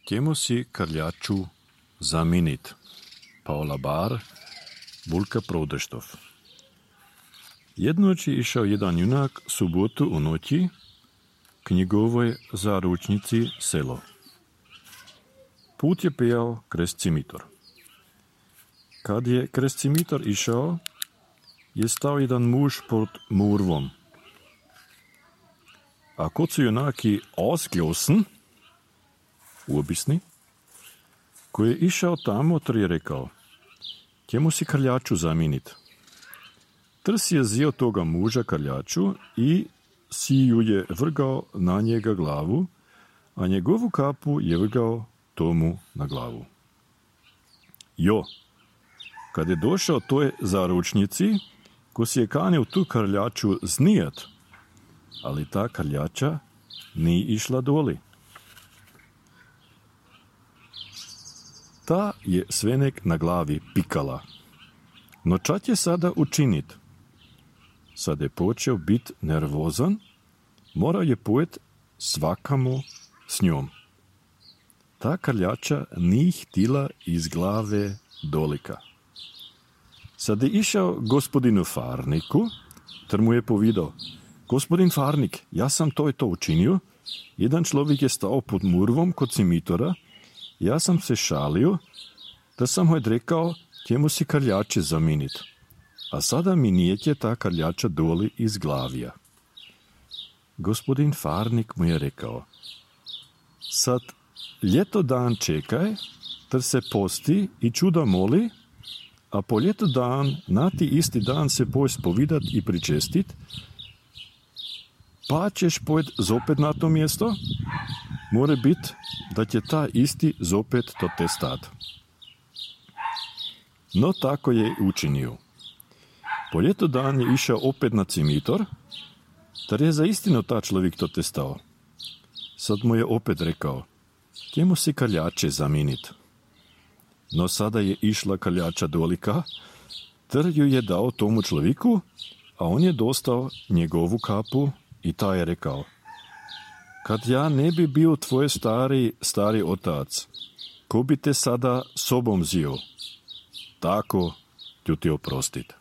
Kjemu si krljaču zaminit? Paula Bar, Bulka Prodeštov. Jednoći išao jedan junak subotu u noći k njegovoj zaručnici selo. Put je pejal krez cimitor. Kad je krez cimitor išao, je stao jedan muž pod murvom. A kod su junaki ausglossen, uobisni, koji je išao tamo, ter je rekao, kjemu si krljaču zaminit. Ter si je zio toga muža krljaču i si ju je vrgao na njega glavu, a njegovu kapu je vrgao tomu na glavu. Jo, kad je došao toj zaručnici, ko si je kanil tu krljaču znijat, ali ta krljača nije išla doli. Ta je svenek na glavi pikala. No čat je sada učinit? Sad je počeo bit nervozan, morao je pojet svakamu s njom. Ta krljača nije htila iz glave dolika. Sad je išao gospodinu farniku, ter mu je povedal, gospodin farnik, ja sam to i to učinio, jedan človek je stao pod murvom kod cimitora, ja sam se šalio, da sam mu je rekao, kjemu si krljače zaminit. A sada mi nijeće ta krljača doli iz glavija. Gospodin farnik mu je rekao, sad ljeto dan čekaj, ter se posti i čuda moli, a po ljeto dan, na ti isti dan se poj spovidat i pričestit, pa ćeš pojet zopet na to mjesto, more bit, da će ta isti zopet to te stat. No tako je učinio. Po ljeto dan je išao opet na cimitor, ter je za istino ta človek to te stao. Sad mu je opet rekao, kjemu si krljače zaminit. No sada je išla krljača dolika, ter ju je dao tomu človeku, a on je dostao njegovu kapu i ta je rekao, kad ja ne bi bio tvoj stari otac, ko bi te sada sobom zio, tako ću ti oprostit.